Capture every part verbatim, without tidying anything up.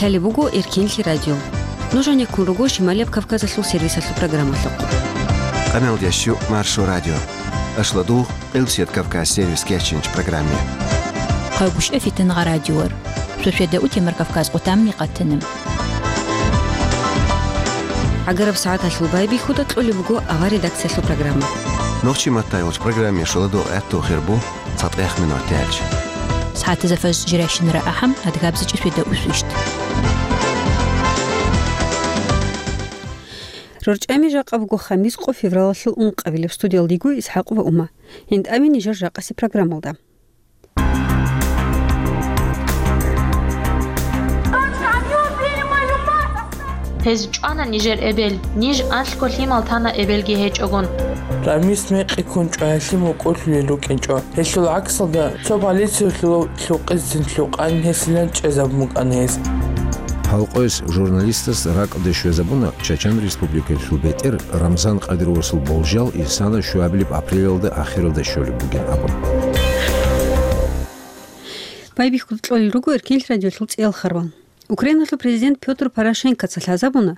Лъалеб буго Эркенлъи радио. Нуж гьанеккун руго Шималияб Кавказалъул сервисалъул программалъухъ. Къаналдящу Маршо радио. Ашладугъ, Къилбсият Кавказ сервис кечинч программе. Къайгъушев Фитингъа радиор. Шошведа утемар Кавказ къутамни къатанам. ГӀагараб сагӀаталъул байбихьуда кьолеб буго авар редакциялъул программа. Нохчи маттайолч программе шоладугъ гӀатту хирбу. ЦатӀех минут тӀач. СагӀатазда фаж жиращинара ахӀам, адгабзичӀи светаусвищ. РорчӀами жакъа буго хамис къо февралалъул ункъабилеб, студиялдиго ИсхӀакъ ва Ума. ГьинтӀами нижер жакъаси программалда. Гьез чӀвана нижер эбел, ниж анлъго лъимал тана эбелги гьечӀогун. Рамис мекъи ккун чӀваялъе мукӀурлъулел рукӀинчӀо. Гьелъул гӀаксалда цо полициялъул лъукъизцин лъукъан гьесилан чӀезабун букӀана гьес. Гьалкъояс журналистас ракӀалде щвезабуна Чачан Республикалъул бетӀер Рамзан Къадировасул болжал исана щуабилеб апрелалда ахиралда щолеб бугин абун. Байбихьуда кьолел руго Эркенлъи радиолъул цӀеял харвал. Украиналъул президент Пётр Порошенкоца лъазабуна,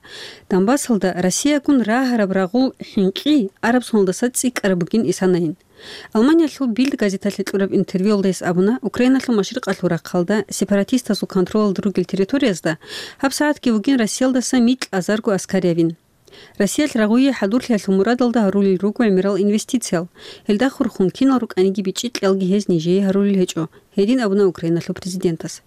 Донбассалда Россиягун рагьараб рагъул хӀинкъи араб соналдаса цӀикӀкӀараб бугин исанайин. Алманиялъул Бильд газеталъе кьураб интервьюялда гьес абуна, Украиналъул машрикъалъул рахъалда, сепаратистазул контролалда ругел территориязда гьабсагӀатги вугин Россиялдаса микь азарго аскариявин. Россиялъ рагъуе хӀадурлъиялъул мурадалда гьарулел руго гӀемерал инвестициял, гьелда хурхун кинал рукӀаниги бичӀчӀи кьелги гьез нижее гьарулел гьечӀо, гьедин абуна Украиналъул президентас.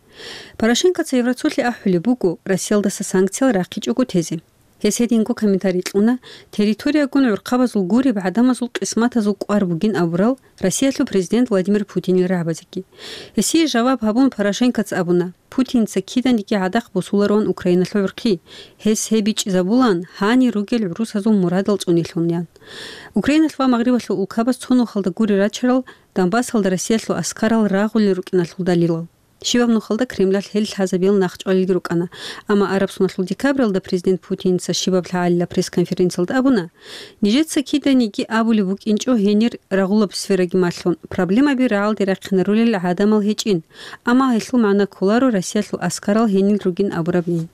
Порошенкоца Евросоюзалъе ахӀулеб буго Россиялдаса санкциял рахъичӀого тезе. Гьес гьединго комментарий кьуна, территориягун гӀурхъабазул гуреб гӀадамазул къисматазул кӀвар бугин абурал Россиялъул президент Владимир Путинил рагӀабазеги. Гьесие жаваб гьабун Порошенкоца абуна, Путинца киданиги гӀадахъ босулароан Украиналъул гӀурхъи, гьес гьеб бичӀчӀизабулаан гьанир ругел гӀурусазул мурадал цӀунилъунаян. Украиналъ ва Магърибалъул улкабаз цо нухалда гури рачарал Донбассалда Россиялъул аскарал рагъулел рукӀиналъул далилал. Щибаб нухалда Кремлалъ гьел лъазабиял нахъчӀвалелги рукӀана, амма араб соналъул декабралда президент Путинца щибаб лъагӀалила пресс-конференциялда абуна, нижеца киданиги абулеб букӀинчӀо гьенир рагъулаб сфераги малъун, проблемаби рагӀалде рахъинарулел гӀадамал гьечӀин, амма гьелъул магӀна кколаро Россиялъул аскарал гьенил ругин абурабни.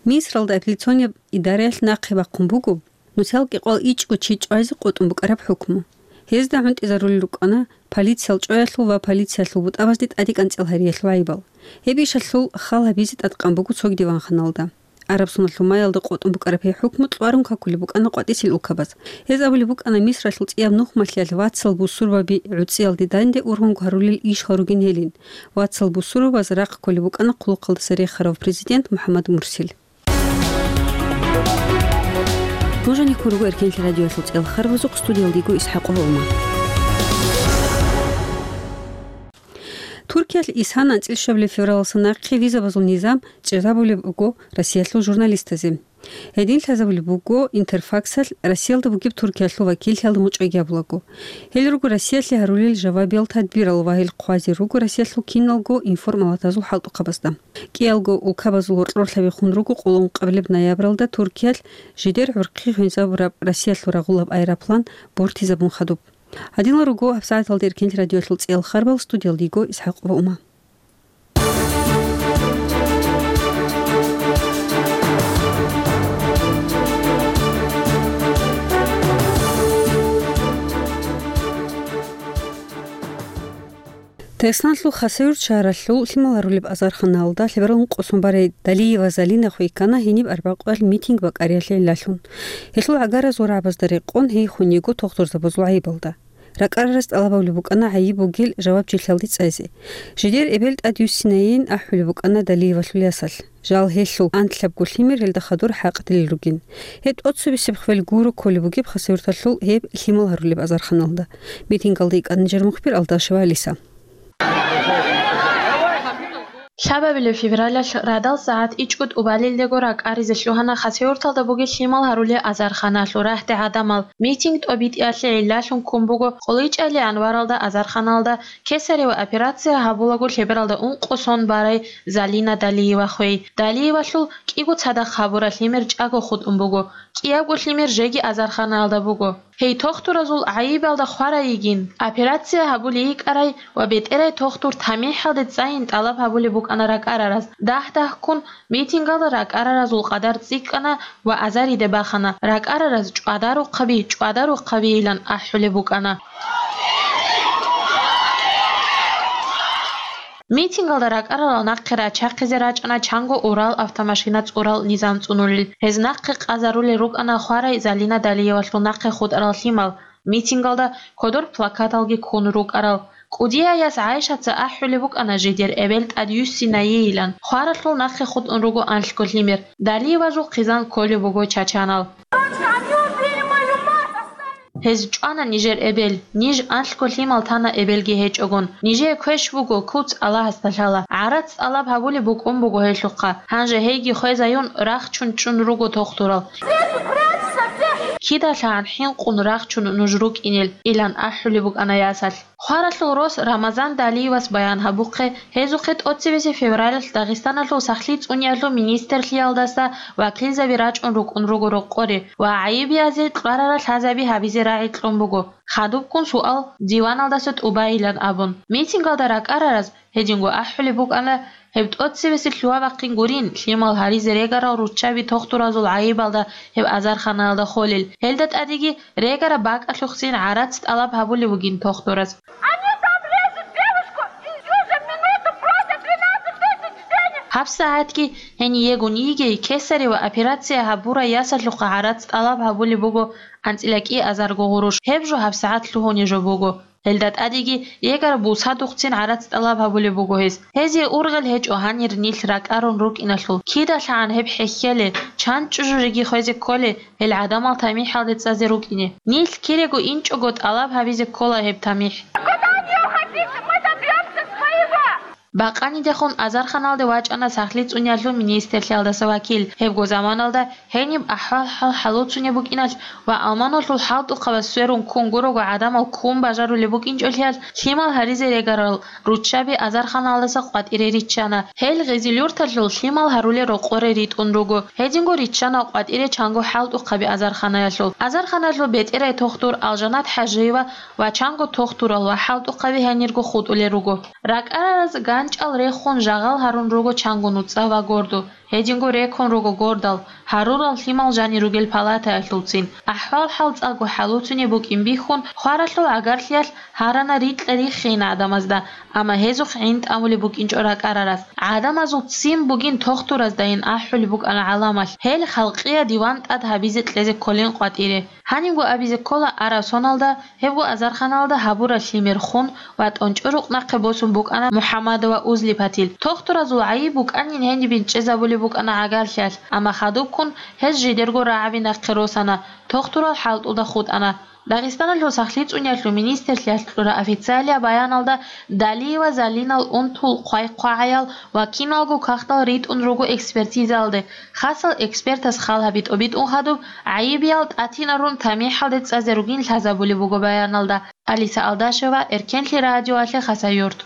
Мисралда апелляционияб идараялъ нахъе бахъун буго, нусал кӀикъвал ичӀго чи чӀвазе къотӀун букӀараб хӀукму. Гьезда гӀунтӀизарулел рукӀана полициял чӀваялъул ва полициялъул бутӀабазде тӀаде кӀанцӀил гьариялъул гӀайибал. Гьеб ишалъул хал гьабизе тӀадкъан буго цоги диванханалда. Араб соналъул маялда къотӀун букӀараб гьеб хӀукму кьварун какулеб букӀана къватӀисел улкабаз. Гьез абулеб букӀана Мисралъул цӀияб нухмалъиялъ вацал бусурбаби гӀуцӀиялде данде ургъунго гьарулел ишал ругин гьелин. Вацал бусурбабаз рахъ кколеб букӀана хъулухъалдаса рехарав президент МухӀаммад Мурсил. Нуж гьанеккун руго Эркенлъи радиоялъул цӀеял харбазухъ, студиялдиго ИсхӀакъова Ума. Туркиялъ исана анцӀил щвабилеб февралалдаса нахъе визабазул низам чӀезабулеб буго Россиялъул журналистазе. Гьедин лъазабулеб буго Интерфаксалъ Россиялда бугеб Туркиялъул вакиллъиялда мучӀаги гьабулаго. Гьел руго Россиялъе гьарулел жавабиял тадбирал ва гьел хъвазе руго Россиялъул киналго информалатазул хӀалтӀухъабазда. КӀиялго улкабазул гьоркьорлъаби хун руго къоло ункъабилеб ноябралда Туркиялъ жидер гӀурхъи хвезабураб Россиялъул рагъулаб аэроплан бортизабун хадуб. Гьадинал руго гьабсагӀаталда Эркенлъи радиоялъул цӀеял харбал, студиялдиго ИсхӀакъова Ума. Дагъистаналъул Хасавюрт шагьаралъул лъимал гьарулеб азарханалда лъеберал ункъо сон барай Далиева Залина хвейккана гьениб арбякьвал митинг бакӀариялъе гӀиллалъун. Гьелъул гӀагаразул рагӀабазда рекъон гьей хвун йиго тухтурзабазул гӀайибалда. РакӀарараз тӀалаб гьабулеб букӀана гӀайиб бугел жавабчилъиялде цӀезе. Жидер эбел тӀадвуссинайин ахӀулеб букӀана Далиевалъул ясалъ. Жал гьелъул анлъабго лъимер гьелда хадур хӀакъ дилел ругин. Гьеб тӀоцебесеб хвел гуро кколеб бугеб Хасавюрталъул гьеб лъимал гьарулеб азарханалда. Митингалда икӀана нижер мухбир Алдашева Алиса. Лъабабилеб февралалъ радал сагӀат ичӀго тӀубалилдего ракӀаризе лъугьана Хасавюрталда бугеб лъимал гьарулел азарханалъул рагьде гӀадамал. Митинг тӀобитӀиялъе гӀиллалъун ккун буго КъоличӀайилан варалда азарханалда кесарево операция гьабулаго лъебералда ункъо сон барай Залина Далиева хвей. Далиевалъул кӀиго цадахъ гьабураб лъимер чӀаго хутӀун буго, кӀиябго лъимер жеги азарханалда буго. Гьей тухтуразул гӀайибалда хварай йигин, операция гьабулей йикӀарай ва бетӀерай тухтур тамихӀалде цӀайин тӀалаб гьабулеб букӀана. ана ракӀарараз. Дагь-дагьккун митингалда ракӀараразул къадар цӀикӀкӀана ва азариде бахана, ракӀарараз чӀвадарухъаби, чӀвадарухъабийилан ахӀулеб букӀана. Митингалда ракӀаралал нахъе рачахъизе рачӀана чанго Урал автомашина цӀурал низам цӀунулел. Гьез нахъе къазарулел рукӀана хварай Залина Далиевалъул нахъе хутӀарал лъимал, митингалда кодор плакаталги ккун рукӀарал. КӀудияяс ГӀайшаца ахӀулеб букӀана жидер эбел тӀадюссинайейилан. Хваралъул нахъе хутӀун руго анлъго лъимер. Далиевазул хъизан кколеб буго чачанал. Гьез чӀвана нижер эбел, ниж анлъго лъимал тана эбелги гьечӀогун. Нижее квеш буго, куц Аллагьасда лъала. ГӀарац тӀалаб гьабулеб букӀун буго гьелъухъа. Гьанже гьейги хвезаюн рахчун чӀун руго тохтурал. КидалъагӀан хӀинкъун рахчун нуж рукӀинел, илан ахӀулеб букӀана ясалъ. Хваралъул рос Рамазан Далиевас баян гьабухъе, гьезухъе тӀоцебесеб февралалъ Дагъистаналъул сахлъи цӀуниялъул министрлъиялдаса вакилзаби рачӀун рукӀун руго рокъоре ва гӀайибиязе кьварарал лъазаби гьабизе рагӀи кьун буго. Хадубккун суал диваналдаса тӀубайилан абун. Митингалда ракӀарараз гьединго ахӀулеб букӀана, гьеб тӀоцебесеб лъугьа-бахъин гурин, лъимал гьаризе регарал руччаби тохтуразул гӀайибалда гьеб азарханаялда холел. Гьелда тӀадеги регараб бакӀалъухъцин гӀарац тӀалаб гьабулеб бугин тохтураз. Они там режут девушку, и сию же минуту просят двенадцать тысяч денег. ГьабсагӀатги гьениего йигей кесарева операция гьабурай ясалъухъа гӀарац тӀалаб гьабулеб буго анцӀила кӀиазарго гъурущ. Гьеб жо гьабсагӀат лъугьуней жо буго. Гьелда тӀадеги регараб бусадухъцин гӀарац тӀалаб гьабулеб буго гьез. Гьезие ургъел гьечӀо гьанир нилъ ракӀарун рукӀиналъул. КидалъагӀан гьеб хӀехьеле, чан чӀужуреги хвезе кколе, гьел гӀадамал тамихӀалде цӀазе рукӀине. Нилъ кирего инчӀого тӀалаб гьабизе ккола гьеб тамихӀ. Куда они уходить? Мы добьёмся своего! Бакъанидехун азарханалде вачӀана сахлъи цӀуниялъул министрлъиялдаса вакил. Гьебго заманалда гьениб ахӀвал-хӀал хӀалуцунеб букӀиналъ ва аманулъул хӀалтӀухъабаз сверун ккун гурого гӀадамал ккун бажарулеб букӀинчӀолъиялъ, лъимал гьаризе регарал руччаби азарханалдаса къватӀире риччана. Гьел Гъизилюрталъул лъимал гьарулел рокъоре ритӀун руго. Гьединго риччана къватӀире чанго хӀалтӀухъаби азарханаялъул. Азарханалъул бетӀерай тохтур Алжанат ХӀажиева ва чанго тохтурал ва хӀалтӀухъаби гьанирго хутӀулел руго. РакӀарараз ганчӀал рехун жагъал гьарун руго чанго нуцӀа ва гордо. Гьединго рекун руго гордал, гьарурал лъимал жанир ругел палатаялъулцин. АхӀвал-хӀал цӀакъго хӀалуцунеб букӀин бихьун, хваралъул гӀагарлъиялъ гьарана рикьа-риххейин гӀадамазда, амма гьезухъ гӀин тӀамулеб букӀинчӀо ракӀарараз. ГӀадамазул ццин бугин тохтураздайин ахӀулеб букӀана гӀаламалъ. Гьел халкъиял диван тӀад гьабизе кьезе кколин къватӀире. Гьанибго абизе ккола, араб соналда гьебго азарханалда гьабураб лъимер хун ва тӀончӀо рукъ нахъе босун букӀана МухӀаммадова Узлипатил. Тохтуразул гӀайиб букӀанин гьенибин чӀезабулеб букӀана гӀагарлъиялъ, амма хадубккун гьез жидерго рагӀаби нахъе росана, тохтурал хӀалтӀулда хутӀана. Дагъистаналъул сахлъи цӀуниялъул министрлъиялъ кьураб официалияб баяналда Далиева Залинал унтул хъвай-хъвагӀаял ва киналго кагътал ритӀун руго экспертизаялде. Хасал экспертас хал гьаби тӀобитӀун хадуб, гӀайибиял тӀатинарун тамихӀалде цӀазе ругин лъазабулеб буго баяналда. Алиса Алдашева, Эркенлъи радиоялъе, Хасавюрт.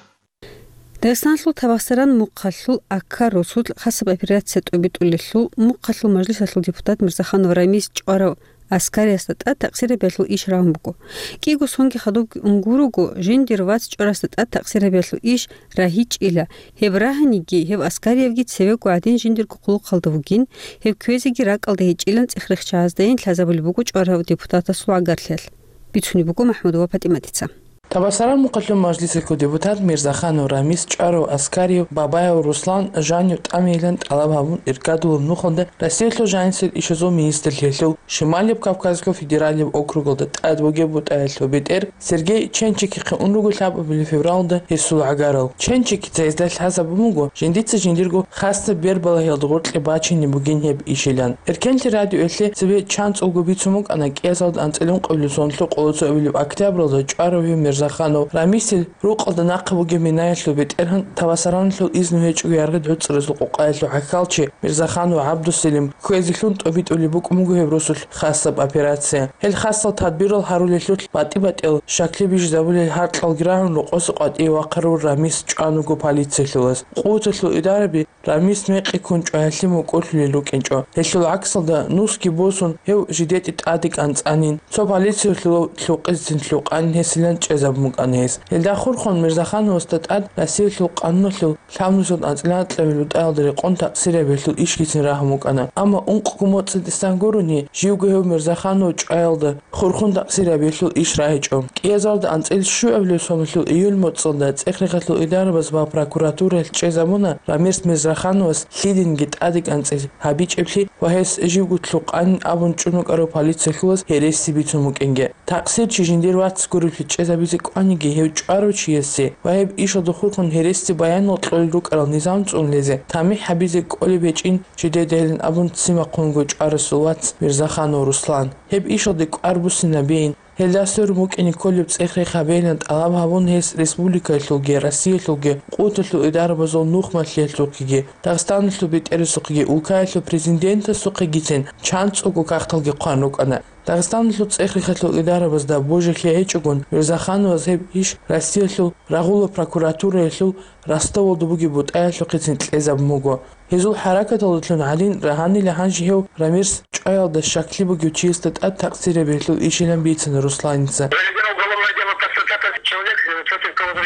Дагъистаналъул Табасаран мухъалъул Аккар росулъ хасаб операция тӀобитӀулелъул мухъалъул мажлисалъул депутат Мирзаханов Рамис чӀварав Аскариясда тӀад такъсирабиялъул иш рагьун буго. КӀиго сонги хадубги ун гурого, жиндир вац чӀварасда тӀад такъсирабиялъул иш рагьичӀила. Гьеб рагьаниги, гьев Аскариевги цевего гӀадин жиндирго хъулухъалда вугин, гьев кквезеги ракӀалда гьечӀилан цӀех-рехчагьаздайин лъазабулеб буго чӀварав депутатасул гӀагарлъиялъ. Бицунеб буго МахӀмудова ПатӀиматица. Табасаран мухъалъул мажлисалъул депутат Мирзаханов Рамис чӀварав Аскариев, Бабаев Руслан жанив тӀамейилан тӀалаб гьабун иркадулаб нухалда Россиялъул жанисел ишазул министрлъиялъул Шималияб Кавказалъул федералияб округалда тӀад бугеб бутӀаялъул бетӀер Сергей Ченчикихъе ун руго лъабабилеб февралда гьесул гӀагарал. Ченчикица гьезда лъазабун буго, жиндица жиндирго хасаб бербалагьиялда гъоркье бачине бугин гьеб ишилан. Эркенлъи радиоялъе цебе чанцӀулго бицун букӀана кӀиазалда анцӀила ункъабилеб соналъул къоло цоабилеб октябралда чӀварав гьев Мирзаханов Рамисил рукъалда нахъа бугеб минаялъул бетӀергьан Табасараналъул изну гьечӀого яргъи гӀуцӀаразул къокъаялъул хӀакъалчи Мирзаханов ГӀабдусалим кквезелъун тӀобитӀулеб букӀун буго гьеб росулъ хасаб операция. Гьел хасал тадбирал гьарулелъулъ батӀи-батӀиял щаклъи бижизабулел гьаркьалги рагӀун рокъоса къватӀиве вахъарав Рамис чӀван вуго полициялъулаз. Къуваталъул идараби Рамис мекъи ккун чӀваялъе мукӀурлъулел рукӀинчӀо. Гьелъул гӀаксалда нусги босун, гьев жидетӀе тӀаде кӀанцӀанин, цо полициялъул лъукъицин лъукъанин гьесилан чӀезабун. букӀана гьес. Гьелда хурхун Мирзахановасда тӀад Россиялъул къануналъул лъабнусиялда анцӀила анкьабилеб бутӀаялда рекъон такъсирияб гьелъул ишгицин рагьун букӀана. Амма ункъго моцӀи тӀасан гурони, живго гьев Мирзаханов чӀваялда хурхун такъсирияб гьелъул иш рагьичӀо. КӀиазарда анцӀила щуабилеб соналъул июль моцӀалда цӀех-рехалъул идарабаз ва прокуратураялъ чӀезабуна Рамис Мирзахановас лъидинги тӀадекӀанцӀил гьабичӀеблъи ва гьес живго лъукъанин абун чӀун вукӀарав полициялъулаз гьереси бицун букӀинги. Такъсирчи жиндир вац гурелъи чӀезабизе кӀваниги, гьев чӀварав чиясе ва гьеб ишалда хурхун гьереси баянал кьолел рукӀарал низам цӀунулезе тамихӀ гьабизе кӀолеб гьечӀин жидедайилан абун ццин вахъунго чӀварасул вац Мирзаханов Руслан. Гьеб ишалде кӀвар буссинабейин, гьелда сверун букӀине кколеб цӀех-рех гьабейилан тӀалаб гьабун, гьес республикаялъулги Россиялъулги къуваталъул идарабазул нухмалъиялъухъеги, Дагъистаналъул бетӀерасухъеги, улкаялъул президентасухъегицин чанцӀулго кагъталги хъван рукӀана. Дагъистаналъул цӀех-рехалъул идарабазда божилъи гьечӀогун, Мирзахановаз гьеб иш Россиялъул рагъула прокуратураялъул Ростовалда бугеб бутӀаялъухъецин кьезабун буго. Гьезул хӀаракаталдалъун гьадин, гьанила гьанже гьев Рамис чӀваялда щаклъи бугев чиясда тӀад такъсирияб гьелъул ишилан бицана Русланица.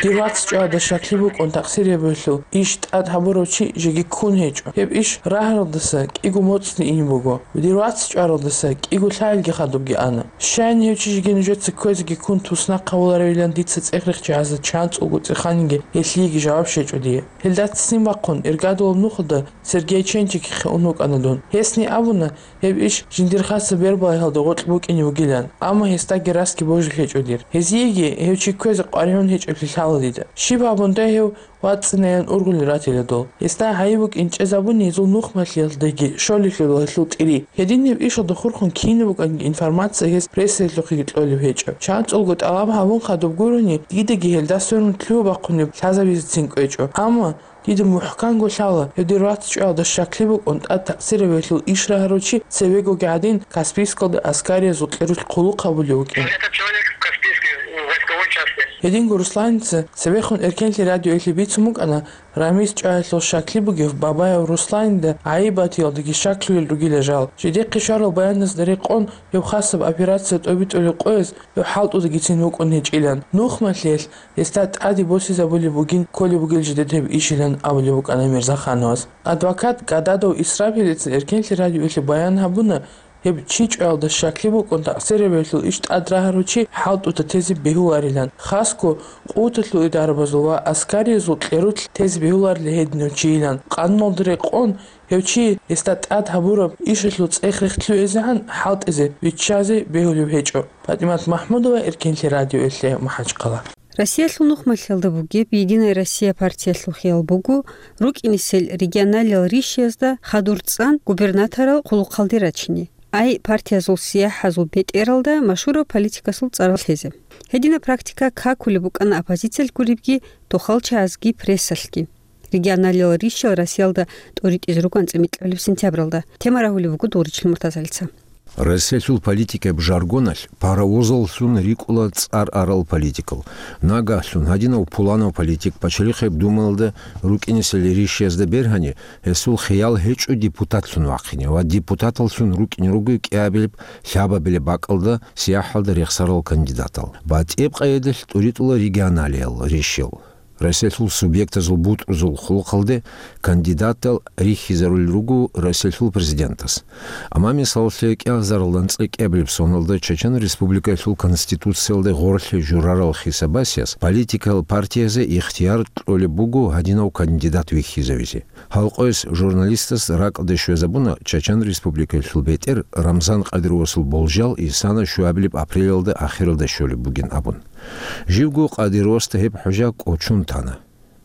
Дир вац чӀваялда щаклъи букӀун такъсирияб гьелъул иш тӀад гьабурав чи жеги ккун гьечӀо. Гьеб иш рагьаралдаса кӀиго моцӀни ин буго. Дир вац чӀваралдаса кӀиго лъагӀалги хадубги ана. Щайин гьев чи жеги нужеца кквезеги ккун туснахъ гьавуларевилан дица цӀех-рехчи гьазда чанцӀулго цӀеханинги гьелъиеги жаваб щвечӀо дие. Гьелда ццин вахъун, иргадулаб нухалда Сергей Ченчикихъе ун вукӀана дун. Гьесни абуна, гьеб иш жиндир хасаб бербалайгьалда гъоркь букӀине бугилан, амма гьесдаги расги божилъи гьечӀо дир. Гьезиеги гьев чи кквезе къваригӀун гьечӀеблъи лъала дида. Щиб гьабундай гьев вацӀцӀинайилан ургъулел ратила дол. Гьесда гьайиб букӀин чӀезабуни гьезул нухмалъиялдаги щолелъул гьелъул тӀири. Гьединаб ишалда хурхун кинаб букӀанги информация гьес прессаялъухъеги кьолеб гьечӀо. ЧанцӀулго тӀалаб гьабун хадуб гурони, дидаги гьелда сверун лъугьа-бахъунеб лъазабизецин кӀвечӀо. Амма дида мухӀканго лъала, гьев дир вац чӀваялда щаклъи букӀун тӀад такъсирияб гьелъул иш рагьарав чи цевегоги гьадин Каспийскалда аскариязул кьерулъ хъулухъ гьабулев вукӀин. Этот человек в Каспийской, в войсковой части. Гьединго Русланица цебехун Эркенлъи радиоялъе бицун букӀана, Рамис чӀваялъул щаклъи бугев Бабаев Русланида гӀайиб батиялдаги щаклъулел ругила жал. Жидехъе щварал баяназда рекъон, гьев хасаб операция тӀобитӀулеб къояз гьев хӀалтӀудагицин вукӀун гьечӀилан. Нухмалъиялъ гьесда тӀаде босизабулеб бугин кколеб бугел жидед гьеб ишилан абулеб букӀана Мирзахановас. Адвокат Гададов Исрапилица Эркенлъи радиоялъе баян гьабуна, гьеб чи чӀваялда щаклъи букӀун такъсирияб гьелъул иш тӀад рагьарав чи хӀалтӀуда тезе бегьуларилан, хасго къуваталъул идарабазул ва аскариязул кьерулъ тезе бегьуларила гьединав чийилан. Къануналда рекъон, гьев чи гьесда тӀад гьабураб ишалъул цӀех-рех лъугӀизегӀан хӀалтӀизе, виччазе бегьулеб гьечӀо. ПатӀимат МахӀмудова, Эркенлъи радиоялъе, МахӀачхъала. Россиялъул нухмалъиялда бугеб «Единая Россия» партиялъул хиял буго рукӀинесел регионалиял ришиязда хадур цӀан губернаторал хъулухъалде рачине. Ай партиязул сияхӀазул бетӀералда машгьурав политикасул цӀарал лъезе. Гьединаб практика какулеб букӀана оппозициялъ гуребги, тохал чагӀазги, прессалъги. Регионалиял ришиял Россиялда тӀоритӀизе руго анцӀила микьабилеб сентябралда. Тема рагьулеб буго Дугъричлъи Муртазалица. Россиялъул политикияб жаргоналъ паровозаллъун рикӀкӀуна цӀар арал политикал. Нагагьлъун гьадинав пуланав политик Пачалихъеб Думаялда рукӀинесел ришиязда бергьани, гьесул хиял гьечӀо депутатлъун вахъине ва депутаталлъун рукӀине руго кӀиабилеб, лъабабилеб бакӀалда сияхӀалда рехсарал кандидатал. БатӀеб къайдалъ тӀуритӀула регионалиял ришиял. Россиялъул субъектазул бутӀрузул хъулухъалде кандидатал рихьизарулел руго Россиялъул президентас. Амма, мисалалъе, кӀиазаралда анцӀила кӀиабилеб соналда Чечен Республикаялъул Конституциялда гъорлъе журарал хисабасияс политикал партиязе ихтияр кьолеб буго гьадинав кандидат вихьизавизе. Гьалкъойс журналистас ракӀалде щвезабуна Чечен Республикаялъул бетӀер Рамзан Къадировасул болжал исана щуабилеб апрелалда ахиралда щолеб бугин абун. Живго Къадировасда гьеб хӀужа кӀочон тана.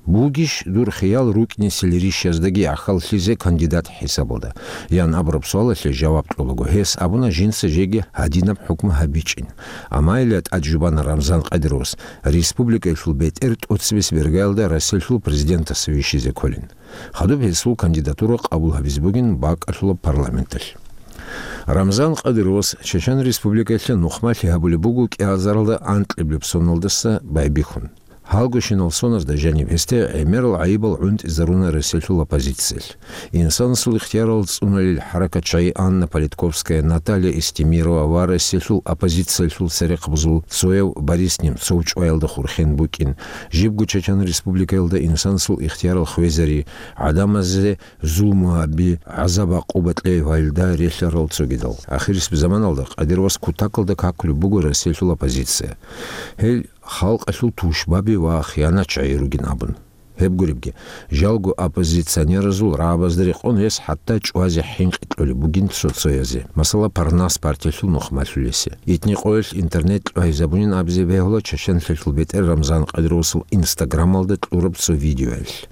«Бугищ дур хиял рукӀинесел ришияздаги гӀахьаллъизе кандидат хӀисабалда?» — ян абураб суалалъе жаваб кьолаго, гьес абуна жинца жеги гьадинаб хӀукму гьабичӀин. Амма гьеле тӀад жубана Рамзан Къадировас республикаялъул бетӀер тӀоцебесеб иргаялда Россиялъул президентас вихьизе кколин. Хадуб гьесул кандидатура къабул гьабизе бугин бакӀалъулаб парламенталъ. Рамзан Къадировас Чечен Республикаялъе нухмалъи гьабулеб буго кӀиазаралда анкьабилеб соналдаса байбихьун. Гьалгощинал соназда жаниб гьесде гӀемерал гӀайибал гӀунтӀизаруна Россиялъул оппозициялъ. Инсанасул ихтиярал цӀунулел хӀаракатчагӀи Анна Политковская, Наталья Эстемирова ва Россиялъул оппозициялъул церехъабазул цояв Борис Немцов чӀваялда хурхен букӀин, жибго Чечен Республикаялда инсанасул ихтиярал хвезари, гӀадамазе зулму гьаби, гӀазаб-гӀакъуба кьей гьавилда релълъарал цогидал. Ахирисеб заманалда Кадыровас кутакалда какулеб буго Россиялъул оппозиция. Гьел халкъалъул тушбаби ва хиянатчагӀи ругин абун. Гьеб гуребги, жалго оппозиционеразул рагӀабазда рекъон гьес хӀатта чӀвазе хӀинкъи кьолеб бугин цо-цоязе, масала, Парнас партиялъул нухмалъулесе. Итни къоялъ интернет кьвагьизабунин абизе бегьула чеченлъиялъул бетӀер Рамзан Кадыровасул Инстаграмалда кьураб цо видеоялъ.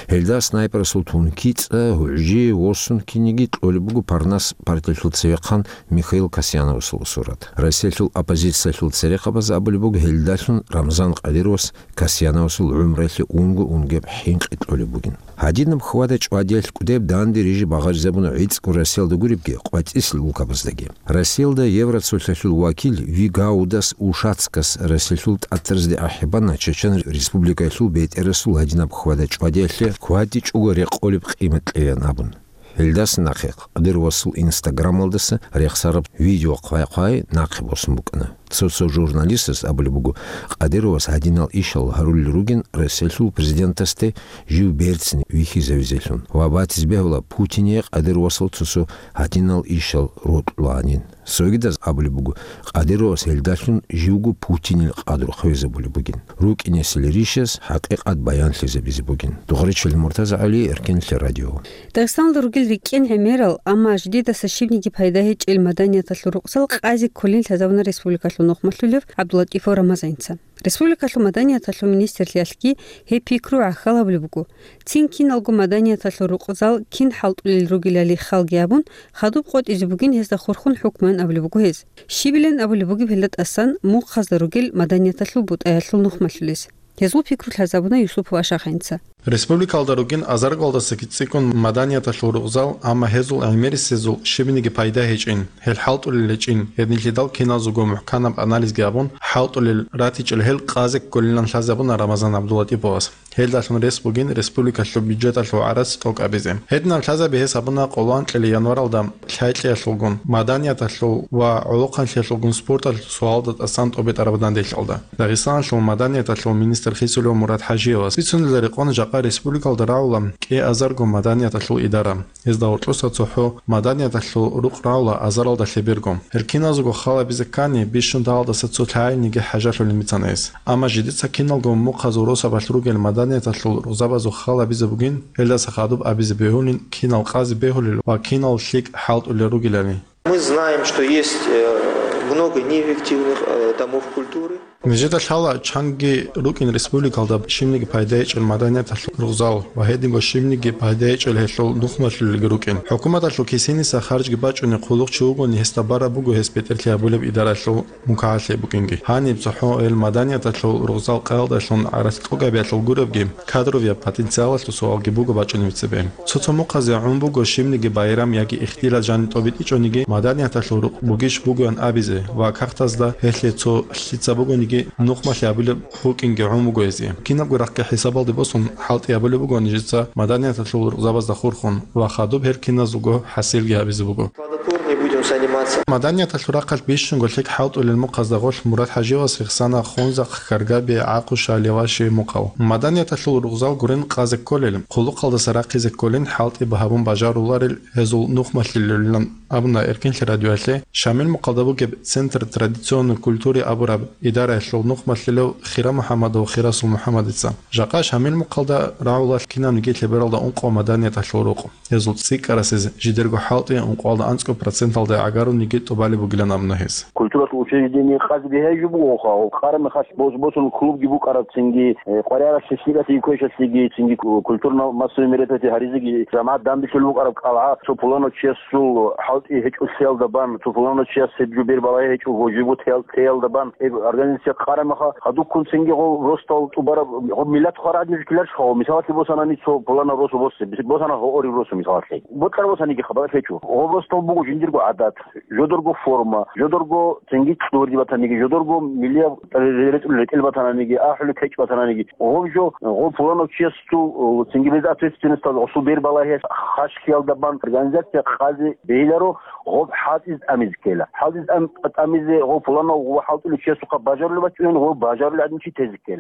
Гьелда снайперасул тунки цӀа гьуӀжи восун киниги кьолеб буго Парнас партиялъул цевехъан Михаил Касьяновасул сурат. Россиялъул оппозициялъул церехъабаз абулеб буго гьелдалъун Рамзан Кадыровас Касьяновасул гӀумруялъе унго-унгеб хӀинкъи кьолеб бугин. Гьадинаб хьвада-чӀвадиялъ кӀудеб данде рижи багъаризабуна гӀицӀго Россиялда гуребги, къватӀисел улкабаздаги. Россиялда Евроцолъалъул вакил Вигаудас Ушацкас Россиялъул тӀатразде ахӀи бана Чечен Республикаялъул бетӀерасул гьадинаб хьвада-чӀвадиялъе кватӀичӀого рекъолеб къимат кьеян абун. Гьелдаса нахъе Кадыровасул Инстаграмалдаса рехсараб видео хъвай-хъвай нахъе босун букӀана. Цо-цо журналистас абулеб буго, Кадыровас гьадинал ишал гьарулел ругин Россиялъул президентасде жив берцин вихьизавизелъун ва батиз бегьула Путине Кадыровасул цо-цо гьадинал ишал рокьулаанин. Цогидаз абулеб буго, Кадыровас гьелдалъун живго Путинил къадру хвезабулеб бугин. РукӀинесел ришас хӀакъикъат баянлъизабизе бугин. Дугъричил МуртазагӀали, Эркенлъи радио. Дагъистаналда ругел рикӀкӀен гӀемерал, амма жидедаса щибниги пайда гьечӀел маданияталъул рукъзал къазе кколин лъазабуна республикалъул нухмалъулев ГӀабдуллатӀифов Рамазанца. Республикалъул маданияталъул министрлъиялъги гьеб пикру гӀахьал гьабулеб буго. Цин киналго маданияталъул рукъзал кин хӀалтӀулел ругелали халги абун, хадуб къотӀизе бугин гьезда хурхун хӀукмуян абулеб буго гьез. Щибилан абулеб бугеб гьелда тӀасан мухъазда ругел маданияталъул бутӀаялъул нухмалъулез? Гьезул пикру лъазабуна Юсупов Ашаханца. Республикалда ругин азаргалдасаги цӀикӀкӀун маданияталъул рукъзал, амма гьезул гӀемерисезул щибниги пайда гьечӀин, гьел хӀалтӀулел гьечӀин, гьединлъидал киназулго мухӀканаб анализги абун, хӀалтӀулел ратичӀел гьел къазе кколилан лъазабуна Рамазан ГӀабдуллатӀиповас. Гьелдалъун рес бугин республикалъул бюджеталъул гӀарац тӀокӀабизе. Гьединаб лъазаби гьес гьабуна къоло анкьили январалда лъай-кьеялъулгун, маданияталъул ва гӀолохъанлъиялъулгун спорталъул суалда тӀасан тӀобитӀараб данделъалда. Дагъистаналъул маданияталъул министр Хисулев Мурад ХӀажиевас бицунелда рекъон жакъа республикалда рагӀула кӀиазарго маданияталъул идара. Гьезда гьоркьоса цохӀо маданияталъул рукъ рагӀула азаралда лъеберго. Гьел киназего халабизе ккани, бищун дагьалдаса цо лъагӀалниги хӀажалъулин бицана гьес. Амма жидеца киналго мухъазул росабалъ ругел маданияталъул рузабазул халабизе бугин, гьелдаса хадуб абизе бегьулин, кинал къазе бегьулел ва кинал лъикӀ хӀалтӀулел ругелали. Мы знаем, что есть э, много неэффективных э, домов культуры. Нижеда лъала чанги рукӀин республикалда щибниги пайда гьечӀел маданияталъул рузал ва гьединго щибниги пайда гьечӀел гьелъул нухмалъулелги рукӀин. ХӀукуматалъул кисиниса харжги бачӀунеб хъулухъ чи вугони гьесда бараб буго гьес бетӀерлъи гьабулеб идаралъул мукагӀалъи букӀинги. Гьаниб цохӀо гьел маданияталъул рузал къаялдалъун гӀарац тӀокӀабиялъул гуребги, кадровияб потенциалалъул суалги буго бачӀунеб цебе. Цо-цо мухъазе гӀун буго щибниги байрам яги ихтилат жаниб тӀобитӀичӀониги, маданияталъул рукъ бугищ бугоян абизе ва кагътазда гьелъе цо лъица бугониги нухмалъи абулеб букӀинги гӀун буго гьезие. Кинабго рахъги хӀисабалде босун, хӀалтӀи абулеб буго нижеца маданияталъул рукъзабазда хурхун ва хадуб гьел киназулго хӀасилги гьабизе буго. Плодотворнее будем заниматься. Маданияталъул рахъалъ бищунго лъикӀ хӀалтӀулел мухъазда гъорлъ Мурад ХӀажиевас рехсана Хунзахъ, Каргаби, Гьакъуша, Леваши мухъал. Маданияталъул рузал гурин къазе кколел, хъулухъалдаса рахъизе кколин хӀалтӀи гьабун бажаруларел гьезул нухмалъулелилан абуна Эркенлъи радиоялъе Шамил мухъалда бугеб Центр традиционной культуры абураб идараялъул нухмалъулев Хира МухӀаммадов Хирасул МухӀаммадица. Жакъа Шамил мухъалда рагӀула кинабниги лъебералда ункъо маданияталъул рукъ. Гьезул цӀикӀкӀарасез жидерго хӀалтӀи ункъоялда анцӀго проценталда гӀагарунниги тӀубалеб бугилан абуна гьес. Культуралъул учреждение къазе бегьай жо бугоха, гьоб къара мехалъ бос-босун клубги букӀараб цинги, э, къваригӀаралъе, лъикӀалъеги квешалъеги, цинги ку-, культурно-массовый мероприятие гьаризеги, жамагӀат данделъулеб букӀараб кӀалгӀа, цо пуланав чиясул хӀалтӀи гьечӀолъиялда бан, цо пуланав чияс гьеб жо бербалай гьечӀого, живго теял-, теялда бан, гьеб организация къара меха, гьадуккун цинги гьоб росдал тӀубараб, гьоб миллат хвараб гьадин жо ккеларищха, гьоб мисалалъе босанани цо пуланав росу босе, босана гьорив росу мисалалъе. Бокьараб босаниги хабалъ гьечӀо. Гьоб росдал буго жиндирго гӀадат. жодорго форма, жодорго цинги кьурди батаниги, жодорго милияб ретӀел батананиги, ахӀули кечӀ батананиги, гъоб жо, гъоб пуланав чиясул, цинги без ответственностал гъосул бер балагье хашхиялда бан организация къазе бегьиларо, гъоб хӀалтӀиз тӀамизе ккела. ХӀалтӀиз тӀам-, тӀамизе гъоб пуланав гъоб хӀалтӀулев чиясухъа бажарулеб бачӀунани, гъоб бажарулев гӀадин чи тезе ккела.